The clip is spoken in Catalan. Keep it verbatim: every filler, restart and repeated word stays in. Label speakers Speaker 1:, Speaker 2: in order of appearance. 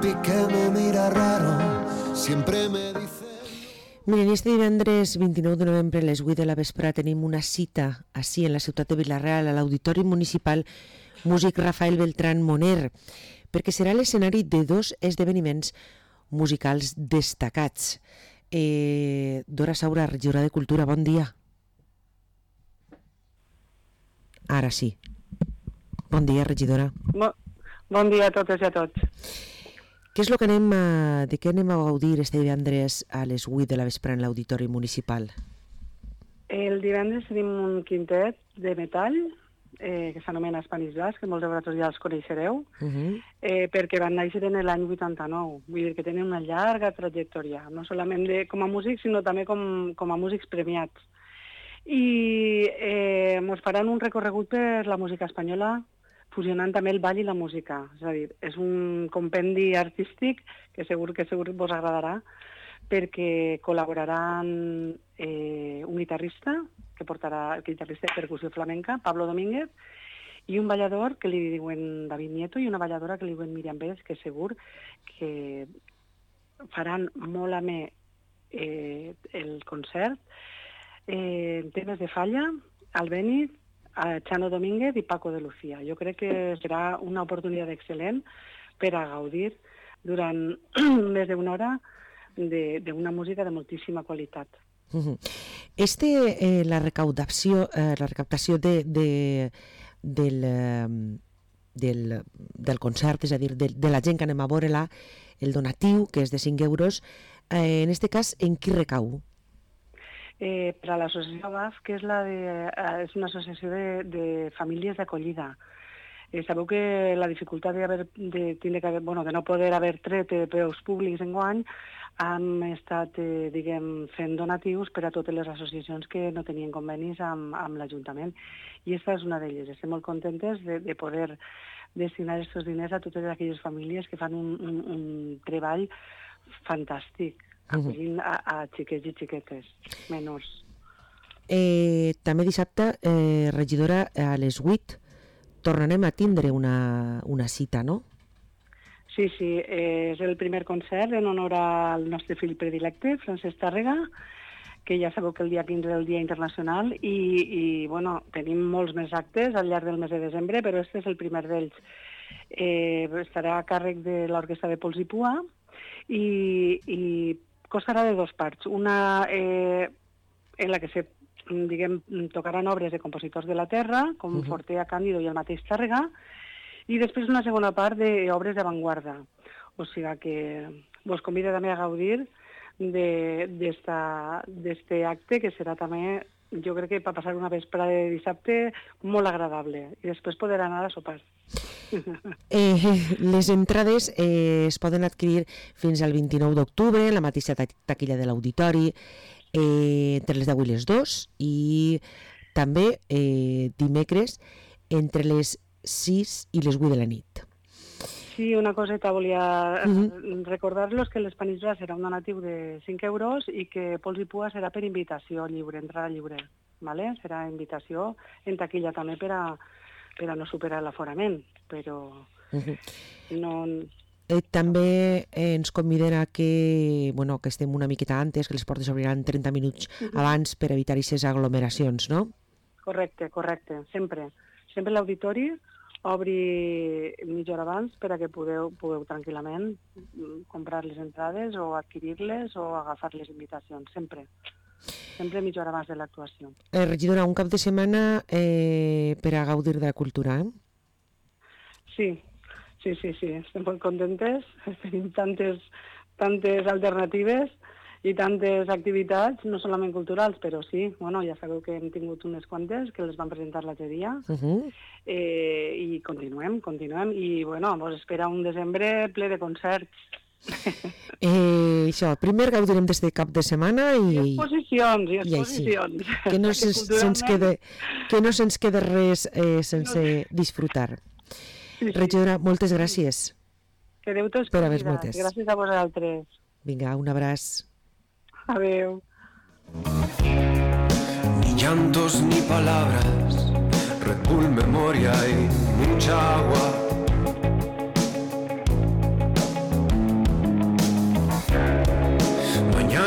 Speaker 1: papi que me mira raro siempre me dice...
Speaker 2: Miren, este divendres vint-i-nou de novembre a les vuit de la vesprada tenim una cita així en la ciutat de Vila-real a l'Auditori Municipal Músic Rafael Beltrán Moner, perquè serà l'escenari de dos esdeveniments musicals destacats. Eh, Dora Saura, regidora de Cultura, bon dia. Ara sí. Bon dia, regidora.
Speaker 3: Bon, bon dia a totes i a tots.
Speaker 2: Què és el que anem a, de què anem a gaudir este divendres a les vuit de la vesprada en l'Auditori Municipal?
Speaker 3: El divendres tenim un quintet de metall eh, que s'anomena Spanish Jazz, que molts de vosaltres ja els coneixereu, uh -huh. eh, perquè van néixer en l'any vuitanta-nou. Vull dir que tenen una llarga trajectòria, no solament de, com a músics, sinó també com, com a músics premiats. I eh, ens faran un recorregut per la música espanyola, fusionant també el ball i la música. És a dir, és un compendi artístic que segur que segur vos agradarà, perquè col·laboraran eh, un guitarrista, que portarà el guitarrista de percussió flamenca, Pablo Domínguez, i un ballador que li diuen David Nieto i una balladora que li diuen Míriam Pérez, que segur que faran molt amè eh, el concert. Eh, en temes de falla, Albéniz, a Chano Domínguez i Paco de Lucía. Jo crec que serà una oportunitat excel·lent per a gaudir durant més d'una hora d'una música de moltíssima qualitat.
Speaker 2: Uh-huh. Este, eh, la recaudació, eh, la recaptació de, de, del, eh, del, del concert, és a dir, de, de la gent que anem a veure-la, el donatiu, que és de cinc euros, eh, en este cas, en qui recau?
Speaker 3: Eh, per a l'associació B A F, que és, la de, eh, és una associació de, de famílies d'acollida. Eh, sabeu que la dificultat de, haver, de, de, que haver, bueno, de no poder haver tret eh, preus públics enguany, hem estat eh, diguem, fent donatius per a totes les associacions que no tenien convenis amb, amb l'Ajuntament. I aquesta és una d'elles. Estem molt contentes de, de poder destinar aquests diners a totes aquelles famílies que fan un, un, un treball fantàstic, acollint a, a xiquets i xiquetes menors.
Speaker 2: Eh, també dissabte, eh, regidora, a les vuit tornarem a tindre una, una cita, no?
Speaker 3: Sí, sí, eh, és el primer concert en honor al nostre fill predilecte, Francesc Tàrrega, que ja sabeu que el dia quinze és el Dia Internacional i, i bueno, tenim molts més actes al llarg del mes de desembre, però este és el primer d'ells. Eh, estarà a càrrec de l'Orquestra de Pols i Pua i, i constarà de dues parts. Una eh, en la que se, diguem, tocaran obres de compositors de la terra, com uh-huh. Fortea, Càndido i el mateix Tàrrega, i després una segona part d'obres d'avantguarda. O sigui que vos convido també a gaudir d'aquest acte, que serà també, jo crec que per passar una vesprada de dissabte molt agradable, i després poder anar a sopar.
Speaker 2: Eh, les entrades eh, es poden adquirir fins al vint-i-nou d'octubre en la mateixa taquilla de l'Auditori, eh, entre les deu i les dos, i també eh, dimecres entre les sis i les vuit de la nit.
Speaker 3: Sí, una coseta, volia
Speaker 2: uh-huh.
Speaker 3: recordar-los que l'Spanish Jazz serà un donatiu de cinc euros i que Pols i Pua serà per invitació lliure, entrada lliure. ¿Vale? Serà invitació en taquilla també per a, per a no superar l'aforament, però uh-huh. no...
Speaker 2: Eh, també eh, ens conviden a que, bueno, que estem una miqueta antes, que les portes s'obriran trenta minuts uh-huh. abans per evitar aquestes aglomeracions, no?
Speaker 3: Correcte, correcte, sempre. Sempre l'auditori obri mitja hora abans per a que podeu, podeu tranquil·lament comprar les entrades o adquirir-les o agafar les invitacions, sempre. Sempre mitja hora abans de l'actuació.
Speaker 2: Eh, regidora, un cap de setmana eh, per a gaudir de la cultura, eh?
Speaker 3: Sí, sí, sí, sí. Estem molt contentes. Tenim tantes, tantes alternatives i tantes activitats, no solament culturals, però sí, bueno, ja sabeu que hem tingut unes quantes que les vam presentar l'altre dia, uh-huh. eh, i continuem, continuem, i bueno, ens espera un desembre ple de concerts.
Speaker 2: Eh, això, primer gaudirem des de cap de setmana i...
Speaker 3: I exposicions, i exposicions.
Speaker 2: I que no se'ns se quede, que no se'ns quede res eh, sense disfrutar. Sí, sí. Regidora, moltes gràcies.
Speaker 3: Que Déu t'ho escolli. Gràcies a vosaltres.
Speaker 2: Vinga, un abraç.
Speaker 3: Adeu.
Speaker 1: Ni llantos ni palabras, Red Bull, memoria y mucha agua.